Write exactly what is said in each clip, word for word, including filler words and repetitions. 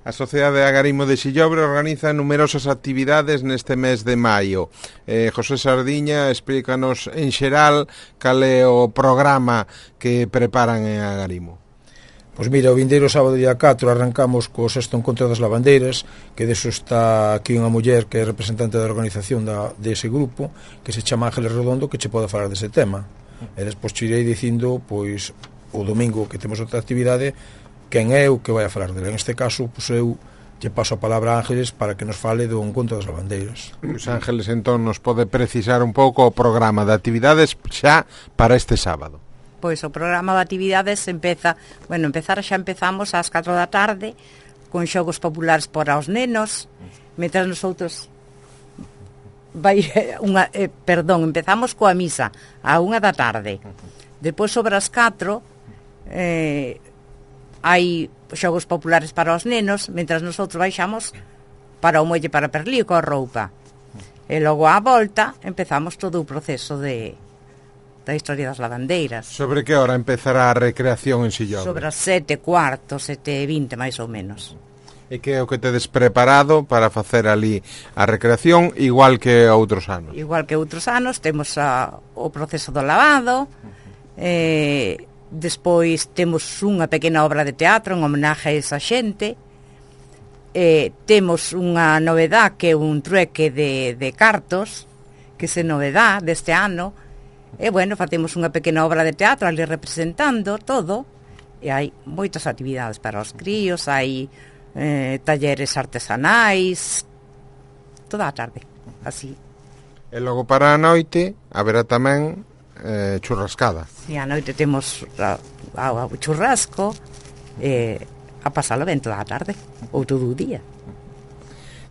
A Sociedade de Agarimo de Sillobre organiza numerosas actividades neste mes de maio. Eh, José Sardiña, explícanos en xeral cal é o programa que preparan en Agarimo. Pois mira, o vindeiro sábado día catro arrancamos co sexto encontro das lavandeiras, que deso está aquí unha muller que é representante da organización da, dese grupo, que se chama Ángeles Redondo, que che pode falar dese tema. E despois te irei dicindo, pois, o domingo que temos outra actividade, quen é o que vai a falar dele. En este caso, pois eu lle paso a palabra a Ángeles para que nos fale do encontro das lavandeiras. Pois Ángeles, entón, nos pode precisar un pouco o programa de actividades xa para este sábado. Pois o programa de actividades empeza, bueno, empezar xa empezamos ás catro da tarde con xogos populares para os nenos, mentras nosotros vai unha, eh, perdón, empezamos coa misa a unha da tarde. Depois sobre as catro eh hai xogos populares para os nenos, mentras nosotros baixamos para o muelle para Perlío coa roupa. E logo á volta empezamos todo o proceso de da historia das lavandeiras. Sobre que hora empezará a recreación en Sillobre? Sobre as sete cuarto, sete e vinte máis ou menos. E que é o que tedes preparado para facer ali a recreación, igual que outros anos? Igual que outros anos, temos a, o proceso do lavado, eh despois temos unha pequena obra de teatro en homenaje a esa xente, eh, temos unha novedad que é un trueque de, de cartos, que se novedad deste ano, e bueno, facemos unha pequena obra de teatro ali representando todo, e hai moitas actividades para os críos, hai eh, talleres artesanais, toda a tarde, así. E logo para a noite haberá tamén Eh, churrascada. Si, a noite temos a, a, a churrasco eh, a pasalo ben toda a tarde ou todo o día.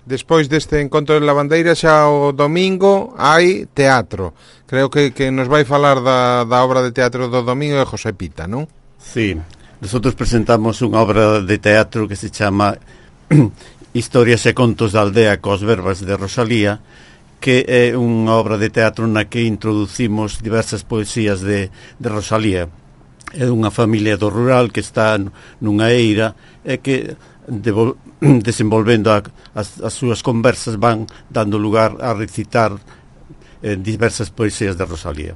Despois deste encontro de lavandeiras, xa o domingo hai teatro. Creo que, que nos vai falar da, da obra de teatro do domingo de José Pita, non? Sí, nosotros presentamos unha obra de teatro que se chama Historias e contos da aldea cos verbas de Rosalía, que é unha obra de teatro na que introducimos diversas poesías de, de Rosalía. É unha familia do rural que está nunha eira e que devol, desenvolvendo a, as, as súas conversas van dando lugar a recitar eh, diversas poesías de Rosalía.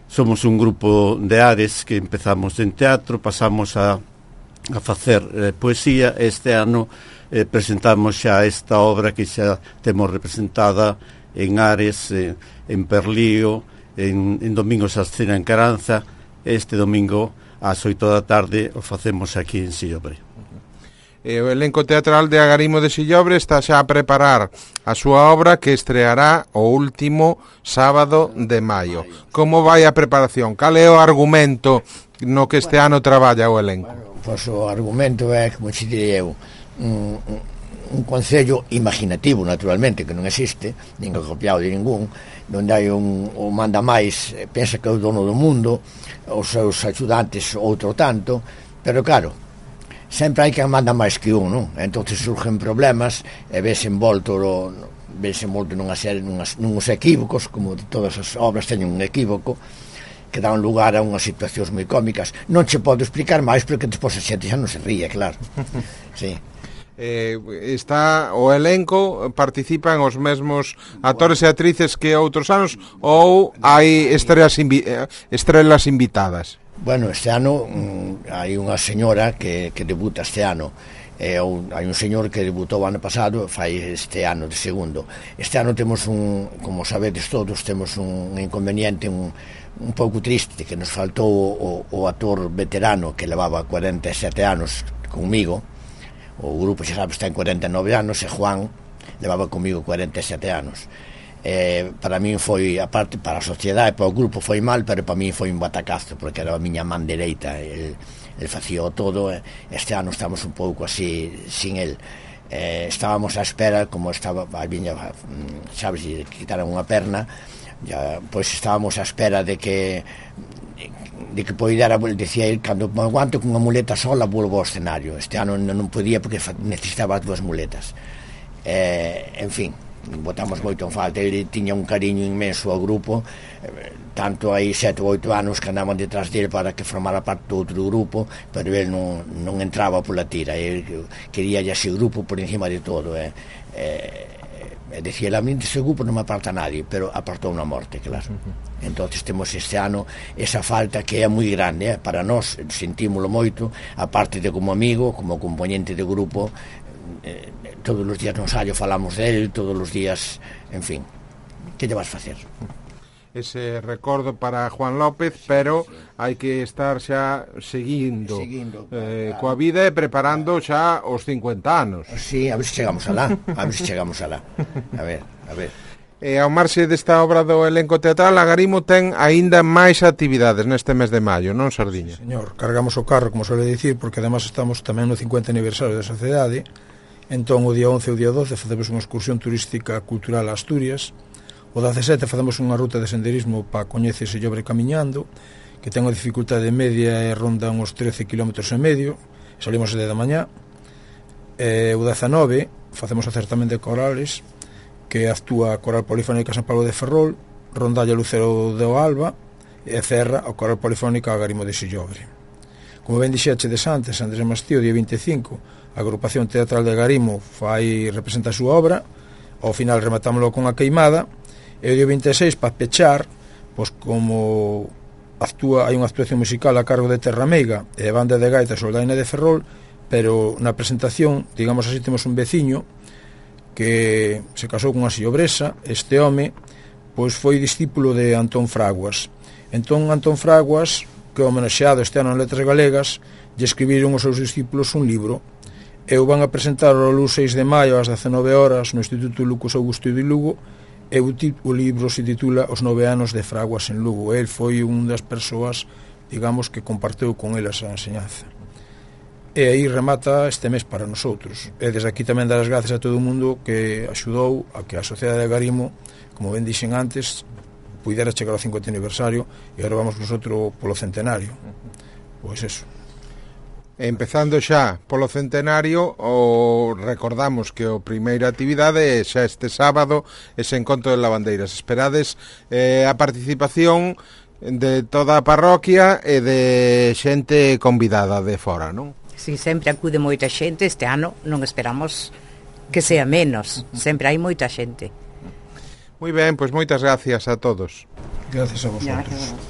Somos un grupo de ares que empezamos en teatro, pasamos a, a facer eh, poesía. Este ano Eh, presentamos xa esta obra que xa temos representada en Ares, eh, en Perlío, en, en Domingos a Escena en Caranza. Este domingo ás oito da tarde o facemos aquí en Sillobre. E o elenco teatral de Agarimo de Sillobre está xa a preparar a súa obra que estreará o último sábado de maio. Como vai a preparación? Cal é o argumento no que este ano traballa o elenco? Bueno, pois o argumento é, como xe direi eu, Un, un, un concello imaginativo, naturalmente, que non existe, nin copiado de ningún, onde hai un, o manda máis, pensa que é o dono do mundo, os seus axudantes outro tanto, pero claro, sempre hai quen manda máis que un, non? Entón surgen problemas e vese envolto vese envolto nunha serie, nunhas, nunhos equívocos, como todas as obras teñen un equívoco, que dan lugar a unhas situacións moi cómicas. Non che podo explicar máis porque despois a xente xa non se ríe, claro. Sí. Eh, está o elenco, participan os mesmos actores e actrices que outros anos ou hai estrelas, invi estrelas invitadas? Bueno, este ano mm, hai unha señora que, que debuta este ano, e un, hai un señor que debutou o ano pasado, fai este ano de segundo. Este ano temos un, como sabedes todos, temos un inconveniente un, un pouco triste, que nos faltou o, o actor veterano que levaba cuarenta e sete anos comigo. O grupo, xa sabes, ten cuarenta e nove anos, e Juan levaba comigo cuarenta e sete anos. Eh, para min foi, aparte, para a sociedade, para o grupo foi mal, pero para min foi un batacazo, porque era a miña man dereita, el, el facía todo. Eh, este ano estamos un pouco así, sin el. Eh, estábamos á espera, como estaba, a viña, sabes, quitaron unha perna, ya, pois estábamos á espera de que de que poidera, decía ele, cando me aguanto con unha muleta sola volvo ao escenario. Este ano non podía porque necesitaba as dúas muletas. Eh, en fin, botamos moito en falta. Ele tiña un cariño inmenso ao grupo, tanto hai sete ou oito anos que andaban detrás dele para que formara parte do outro grupo, pero ele non, non entraba pola tira, ele quería ya ese grupo por encima de todo, eh. Eh, e decía, a mí dese grupo non me aparta nadie, pero apartou na morte, claro. Entonces temos este ano esa falta que é moi grande, eh? Para nós sentímolo moito, aparte de como amigo, como componente de grupo, eh, todos os días no ensayo falamos del, todos os días, en fin, que lle vas facer? Ese recordo para Juan López, pero hai que estar xa seguindo, seguindo eh, claro. coa vida e preparando xa os cincuenta anos. Sí, a ver se chegamos alá, a ver se chegamos alá. A ver, a ver. E ao marxe desta obra do elenco teatral, Agarimo ten aínda máis actividades neste mes de maio, non, Sardiña? Sí, señor, cargamos o carro, como suele dicir, porque además estamos tamén no cincuenta aniversario da sociedade. Entón, o día once e o día doce facemos unha excursión turística cultural a Asturias. O dezasete facemos unha ruta de senderismo para coñecer Sillobre camiñando, que ten unha dificultade media e ronda uns trece kilómetros e medio. Salimos de da mañá. E o dezanove facemos o certamen de corales, que actúa a Coral Polifónica San Pablo de Ferrol, rondalla Lucero do Alba e cerra a Coral Polifónica Agarimo de Sillobre. Como ben dixechedes antes, Andrés Mastío, día vinte e cinco, a agrupación teatral de Agarimo fai representa a súa obra, ao final rematámoslo con a queimada, e o día vinte e seis, para pechar, pois como actúa, hai unha actuación musical a cargo de Terra Meiga e a banda de gaita Soldaina de Ferrol, pero na presentación, digamos así, temos un veciño que se casou con unha sillobresa. Este home pois foi discípulo de Antón Fraguas. Entón Antón Fraguas, que é homenaxeado este ano en Letras Galegas, lle escribiron os seus discípulos un libro e o van a presentar o luns seis de maio ás dezenove horas no Instituto Lucas Augusto de Lugo, e o, o libro se titula Os nove anos de Fraguas en Lugo. El foi unha das persoas, digamos, que comparteu con el esa enseñanza. E aí remata este mes para nosotros. E desde aquí tamén dar as gracias a todo o mundo que axudou a que a Sociedade de Agarimo, como ben dixen antes, pudera chegar ao cincuenta aniversario, e agora vamos nosotros polo centenario. Pois eso. Empezando xa polo centenario, o recordamos que o primeira actividade é xa este sábado, ese encontro de lavandeiras. Esperades eh, a participación de toda a parroquia e de xente convidada de fora, non? Si, sempre acude moita xente. Este ano non esperamos que sea menos, sempre hai moita xente. Moi ben, pois moitas gracias a todos. Gracias a vosotros. Gracias.